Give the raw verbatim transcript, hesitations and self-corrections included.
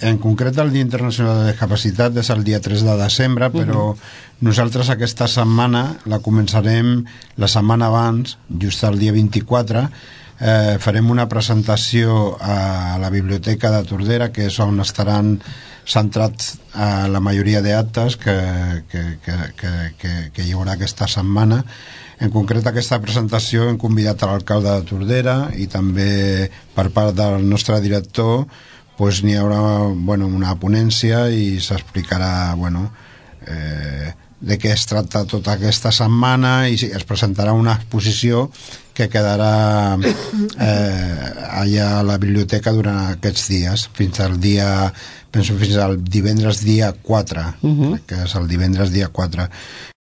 en concret el Dia Internacional de la Discapacitat és el dia tres de desembre, però uh -huh. nosaltres aquesta setmana la començarem la setmana abans, just el dia vint-i-quatre. Eh, farem una presentació a la Biblioteca de Tordera, que és on estaran centrats a la majoria d'actes que, que, que, que, que, que hi haurà aquesta setmana. En concret, aquesta presentació hem convidat a l'alcalde de Tordera i també per part del nostre director pues, n'hi haurà bueno, una ponència i s'explicarà bueno, eh, de què es tracta tota aquesta setmana i es presentarà una exposició que quedarà eh, allà a la biblioteca durant aquests dies, fins al dia penso fins al divendres dia quatre, uh-huh. que és el divendres dia quatre.